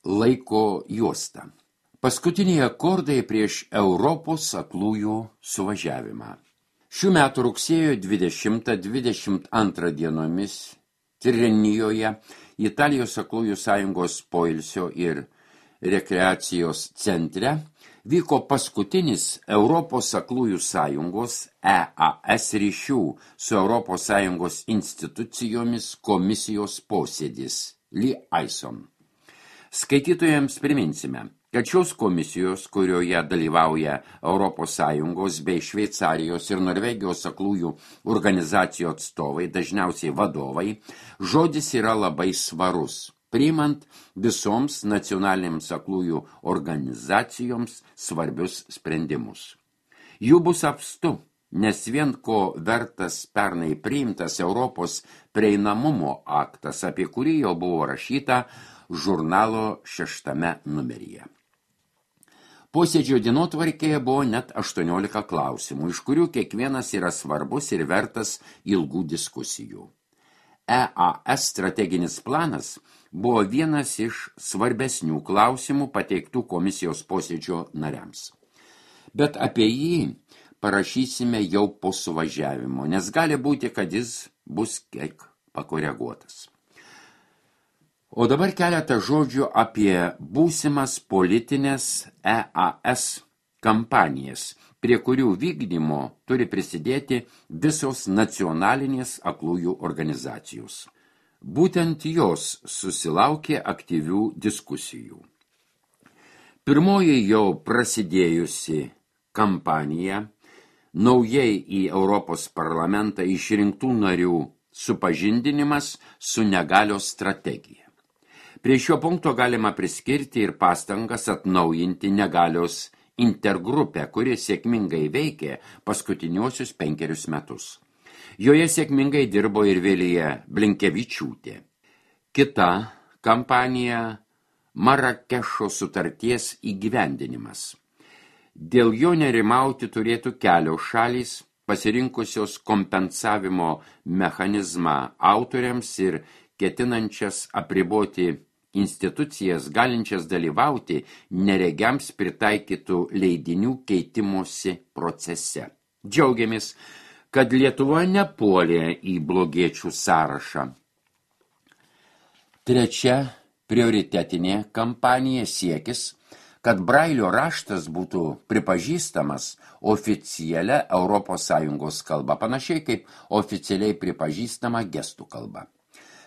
laiko juosta. Paskutiniai akordai prieš Europos aklųjų suvažiavimą. Šių metų rugsėjo 20-22 dienomis Tirrenijoje, Italijos aklųjų sąjungos poilsio ir rekreacijos centre, vyko paskutinis Europos aklųjų sąjungos EAS ryšių su Europos sąjungos institucijomis komisijos posėdis Liaison. Skaitytojams priminsime, kad šios komisijos, kurioje dalyvauja Europos Sąjungos bei Šveicarijos ir Norvegijos aklųjų organizacijų atstovai, dažniausiai vadovai, žodis yra labai svarus, priimant visoms nacionalinėms aklųjų organizacijoms svarbius sprendimus. Jų bus apstu, nes vien ko vertas pernai priimtas Europos prieinamumo aktas, apie kurį jau buvo rašyta žurnalo 6 numeryje. Posėdžio dienotvarkėje buvo net 18 klausimų, iš kurių kiekvienas yra svarbus ir vertas ilgų diskusijų. EAS strateginis planas buvo vienas iš svarbesnių klausimų pateiktų komisijos posėdžio nariams. Bet apie jį parašysime jau po suvažiavimo, nes gali būti, kad jis bus kiek pakoreguotas. O dabar keletą žodžių apie būsimas politinės EAS kampanijas, prie kurių vykdymo turi prisidėti visos nacionalinės aklųjų organizacijos. Būtent jos susilaukė aktyvių diskusijų. Pirmoji jau prasidėjusi kampanija, naujai į Europos parlamentą išrinktų narių supažindinimas su negalios strategija. Prie šio punkto galima priskirti ir pastangas atnaujinti negalios intergrupę, kuri sėkmingai veikė paskutiniuosius 5 metus. Joje sėkmingai dirbo ir Vilija Blinkevičiūtė. Kita kampanija – Marakešo sutarties įgyvendinimas. Dėl jo nerimauti turėtų kelios šalys, pasirinkusios kompensavimo mechanizmą autoriams ir ketinančias apriboti institucijas galinčias dalyvauti neregiams pritaikytų leidinių keitimosi procese. Džiaugiamės, kad Lietuva nepuolė į blogiečių sąrašą. Trečia prioritetinė kampanija siekis, kad Brailio raštas būtų pripažįstamas oficialia ES kalba, panašiai kaip oficialiai pripažįstama gestų kalba.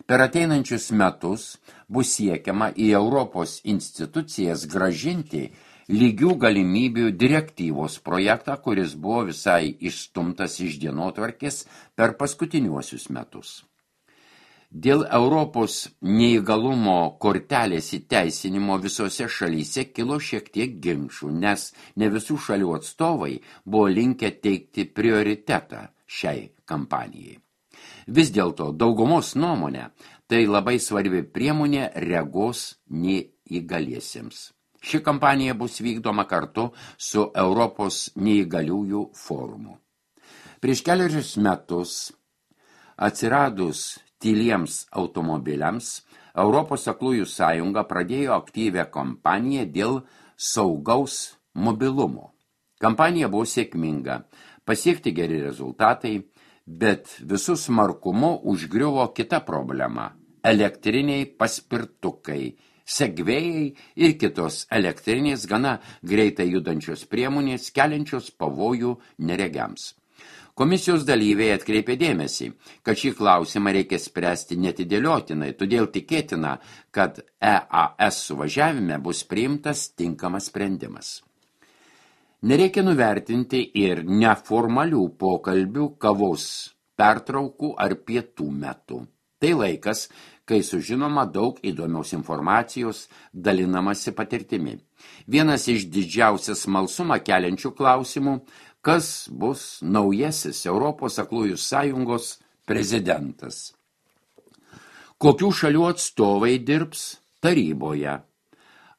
Per ateinančius metus bus siekiama į Europos institucijas gražinti lygių galimybių direktyvos projektą, kuris buvo visai išstumtas iš dienotvarkės per paskutiniuosius metus. Dėl Europos neįgalumo kortelės įteisinimo visose šalyse kilo šiek tiek ginčų, nes ne visų šalių atstovai buvo linkę teikti prioritetą šiai kampanijai. Vis dėlto daugumos nuomonė tai labai svarbi priemonė regos neįgaliesiems. Ši kampanija bus vykdoma kartu su Europos neįgaliųjų forumu. Prieš keliarius metus atsiradus tyliems automobiliams, Europos aklųjų sąjunga pradėjo aktyvią kampaniją dėl saugaus mobilumo. Kampanija buvo sėkminga, pasiekti geri rezultatai, bet visų smarkumu užgriuvo kita problema – elektriniai paspirtukai, segvėjai ir kitos elektrinės gana greitai judančios priemonės, keliančios pavojų neregiams. Komisijos dalyviai atkreipė dėmesį, kad šį klausimą reikia spręsti netidėliotinai, todėl tikėtina, kad EAS suvažiavime bus priimtas tinkamas sprendimas. Nereikia nuvertinti ir neformalių pokalbių kavos pertraukų ar pietų metu. Tai laikas, kai sužinoma daug įdomios informacijos, dalinamasi patirtimi. Vienas iš didžiausias smalsumą keliančių klausimų, kas bus naujasis Europos aklųjų sąjungos prezidentas. Kokių šalių atstovai dirbs taryboje?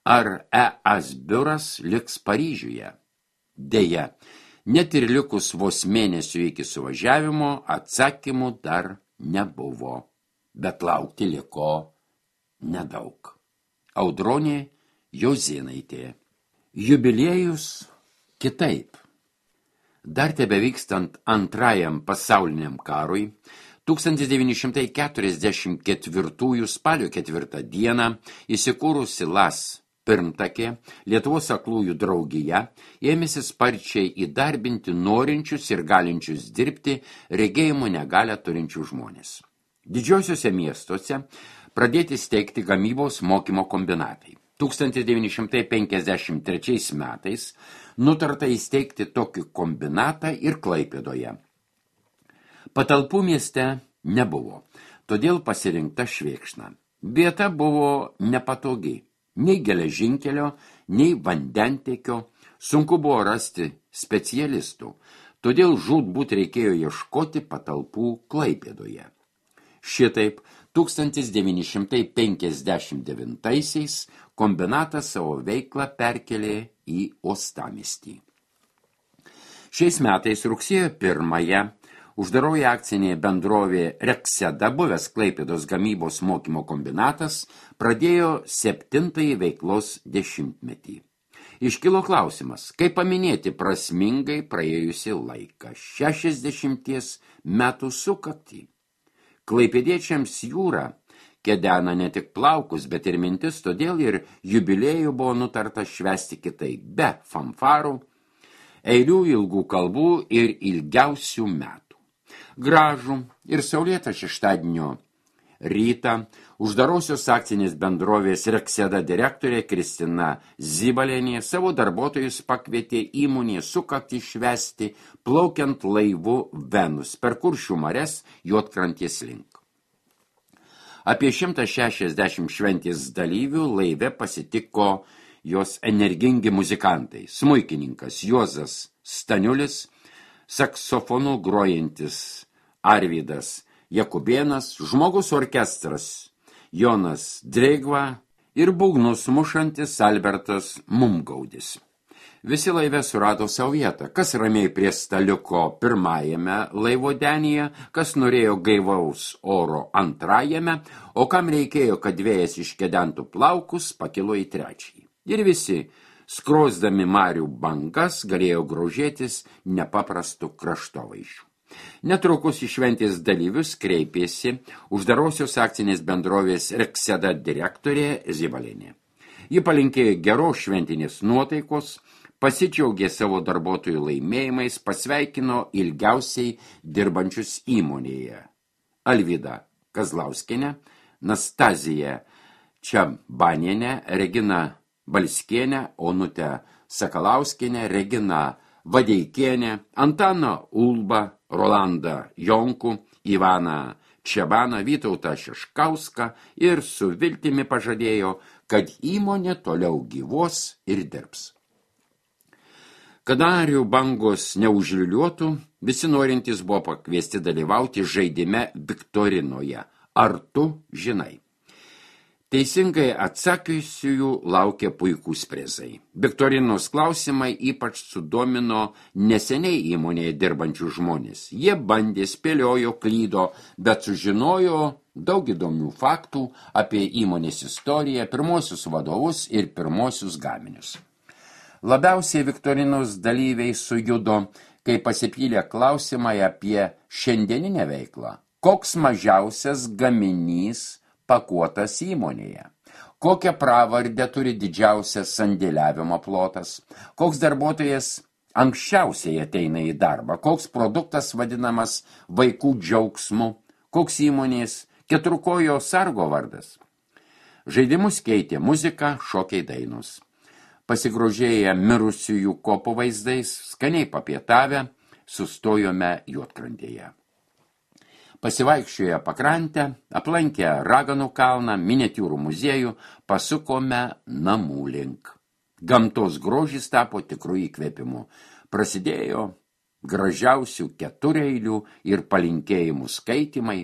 Ar EAS biuras liks Paryžiuje? Deja, net ir likus vos mėnesių iki suvažiavimo atsakymų dar nebuvo, bet laukti liko nedaug. Audronė Jozėnaitė. Jubiliejus kitaip. Dar tebevykstant antrajam pasauliniam karui, 1944 spalio 4 dieną įsikūrusi LAS pirmtakė Lietuvos aklųjų draugija ėmėsi sparčiai įdarbinti norinčius ir galinčius dirbti regėjimo negalią turinčių žmonės. Didžiosiuose miestuose pradėti steigti gamybos mokymo kombinatai. 1953 metais nutarta įsteigti tokį kombinatą ir Klaipėdoje. Patalpų mieste nebuvo, todėl pasirinkta Švėkšna. Vieta buvo nepatogi, nei geležinkelio, nei vandentiekio, sunku buvo rasti specialistų, todėl žūtbūt reikėjo ieškoti patalpų Klaipėdoje. Šitaip 1959 kombinatas savo veiklą perkelė į uostamiestį. Šiais metais rugsėjo 1-ąją uždaroji akcinė bendrovė Rekseda, buvęs Klaipėdos gamybos mokymo kombinatas, pradėjo 7-ąjį veiklos dešimtmetį. Iškilo klausimas, kaip paminėti prasmingai praėjusį laiką, 60 metų sukaktį. Klaipėdiečiams jūra kedena ne tik plaukus, bet ir mintis, todėl ir jubiliejų buvo nutarta švęsti kitaip, be fanfarų, eilių ilgų kalbų ir ilgiausių metų. Gražų ir saulėtą šeštadienio rytą uždarosios akcinės bendrovės Rekseda direktorė Kristina Zibalienė savo darbuotojus pakvietė įmonės sukaktį švęsti plaukiant laivu Venus per Kuršių marias Juodkrantės link. Apie 160 šventės dalyvių laive pasitiko jos energingi muzikantai, smuikininkas Juozas Staniulis, saksofonu grojantis Arvydas Jakubėnas, žmogus orkestras Jonas Dreigva ir būgnus mušantis Albertas Mumgaudis. Visi laive surado savo vietą, kas ramiai prie staliuko pirmajame laivodenyje, kas norėjo gaivaus oro antrajame, o kam reikėjo, kad vėjas iškedentų plaukus, pakilo į trečiąjį. Ir visi, skrosdami marių bangas, galėjo grožėtis nepaprastu kraštovaizdžiu. Netrukus į šventės dalyvius kreipėsi uždarosios akcinės bendrovės Rekseda direktorė Zibalienė. Ji palinkėjo geros šventinės nuotaikos, pasidžiaugė savo darbuotojų laimėjimais, pasveikino ilgiausiai dirbančius įmonėje. Alvyda Kazlauskienė, Nastazija Čabanienė, Regina Balskienė, Onutė Sakalauskienė, Regina Vadeikienė, Antaną Ulbą, Rolandą Jonkų, Ivaną Čebaną, Vytautą Šeškauską ir su viltimi pažadėjo, kad įmonė toliau gyvuos ir dirbs. Kad arių bangos neužliuliuotų, visi norintys buvo pakviesti dalyvauti žaidime Viktorinoje. Ar tu žinai? Teisingai atsakiusiųjų laukia puikūs prizai. Viktorinos klausimai ypač sudomino neseniai įmonėje dirbančių žmonės. Jie bandė, spėliojo, klydo, bet sužinojo daug įdomių faktų apie įmonės istoriją, pirmosius vadovus ir pirmosius gaminius. Labiausiai Viktorinos dalyviai sujudo, kai pasipylė klausimai apie šiandieninę veiklą. Koks mažiausias gaminys pakuotas įmonėje? Kokią pravardę turi didžiausias sandėliavimo plotas? Koks darbuotojas anksčiausiai ateina į darbą? Koks produktas vadinamas vaikų džiaugsmu? Koks įmonės keturkojo sargo vardas? Žaidimus keitė muzika, šokiai dainos. Pasigrožėję mirusiųjų kopų vaizdais, skaniai papietavę, sustojome Juodkrantėje. Pasivaikščioję pakrantę, aplankę Raganų kalną, miniatiūrų muziejų, pasukome namų link. Gamtos grožis tapo tikrų įkvėpimų. Prasidėjo gražiausių ketureilių ir palinkėjimų skaitimai.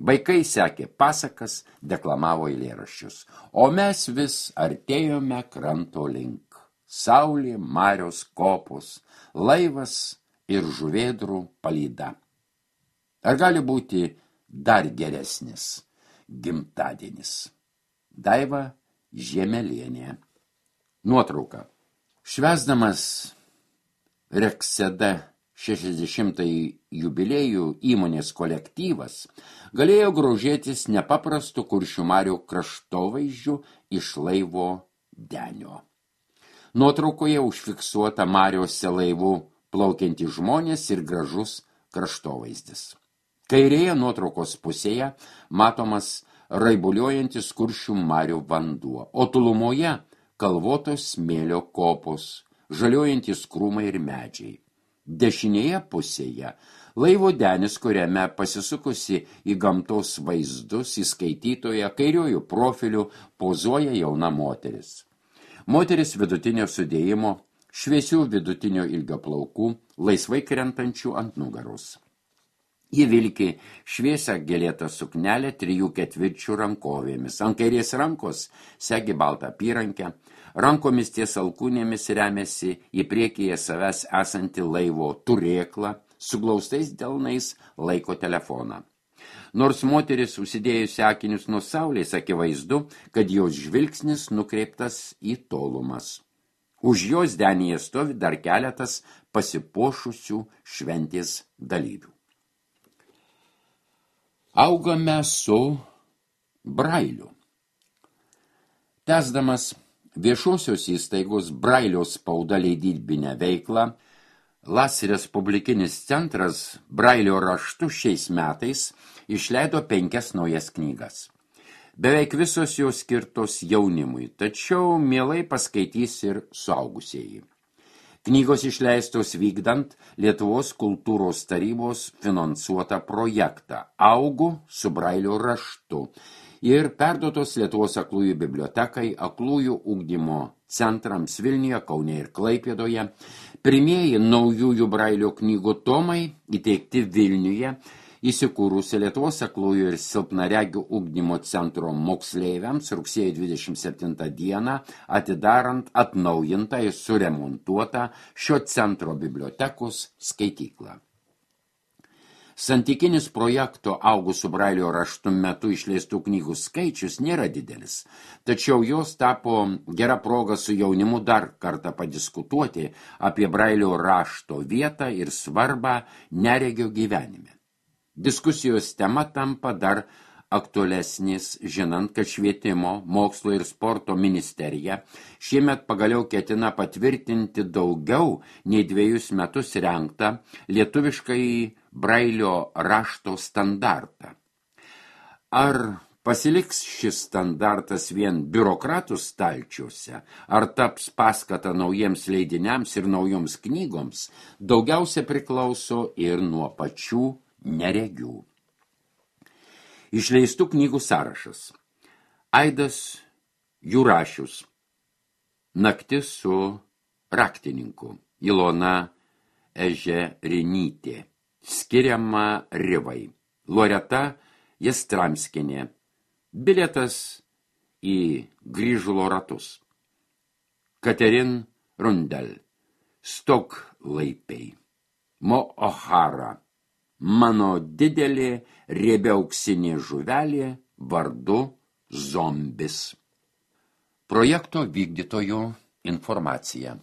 Vaikai sekė pasakas, deklamavo eilėraščius, o mes vis artėjome kranto link. Saulė, marios, kopos, laivas ir žuvėdrų palyda. Ar gali būti dar geresnis gimtadienis? Daiva Žiemelienė. Nuotrauka. Švęsdamas Rekseda 60-ąjį jubiliejų įmonės kolektyvas galėjo grožėtis nepaprastu Kuršių marių kraštovaizdžiu iš laivo denio. Nuotraukoje užfiksuota mariose laivų plaukiantys žmonės ir gražus kraštovaizdis. Kairėje nuotraukos pusėje matomas raibuliuojantis Kuršių marių vanduo, o tolumoje kalvotos smėlio kopos, žaliuojantis krūmai ir medžiai. Dešinėje pusėje laivo denis, kuriame pasisukusi į gamtos vaizdus įskaitytoje kairiojų profilių pozuoja jauna moteris. Moteris vidutinio sudėjimo, šviesių vidutinio ilgio plaukų, laisvai krentančių ant nugaros. Ji vilki šviesią gėlėtą suknelę 3/4 rankovėmis. Ant kairės rankos segi baltą apyrankę, rankomis ties alkūnėmis remiasi į priekyje savęs esantį laivo turėklą, su glaustais delnais laiko telefoną. Nors moteris užsidėjusi akinius nuo saulės, akivaizdu, kad jos žvilgsnis nukreiptas į tolumas. Už jos denyje stovi dar keletas pasipuošusių šventės dalyvių. Augame su Brailiu. Tęsdamas viešosios įstaigos Brailio spauda leidybinę veiklą, Las Respublikinis centras Brailio raštu šiais metais išleido 5 naujas knygas. Beveik visos jos skirtos jaunimui, tačiau mielai paskaitys ir suaugusieji. Knygos išleistos vykdant Lietuvos kultūros tarybos finansuotą projektą Augu su Brailio raštu ir perduotos Lietuvos aklųjų bibliotekai, aklųjų ugdymo centrams Vilniuje, Kaune ir Klaipėdoje. Pirmieji naujųjų Brailio knygų tomai įteikti Vilniuje įsikūrusi Lietuvos aklųjų ir silpnaregių ugdymo centro moksleiviams rugsėjo 27 dieną, atidarant atnaujintą ir suremontuotą šio centro bibliotekos skaityklą. Santykinis projekto Augu su Brailio raštu metu išleistų knygų skaičius nėra didelis, tačiau jos tapo gera proga su jaunimu dar kartą padiskutuoti apie Brailio rašto vietą ir svarbą neregio gyvenime. Diskusijos tema tampa dar aktualesnis, žinant, kad Švietimo, mokslo ir sporto ministerija šiemet pagaliau ketina patvirtinti daugiau nei 2 metus rengtą lietuviškai Brailio rašto standartą. Ar pasiliks šis standartas vien biurokratų stalčiuose, ar taps paskata naujiems leidiniams ir naujoms knygoms, daugiausia priklauso ir nuo pačių neregių. Išleistų knygų sąrašas. Aidas Jurašius. Naktis su raktininku. Ilona Ežerinytė. Skiriama Rivai. Loreta Jastramskienė. Bilietas į Grįžulo ratus. Katerin Rundel. Stoklaipiai. Mo O'Hara. Mano didelė riebia auksinė žuvelė vardu Zombis. Projekto vykdytojų informacija.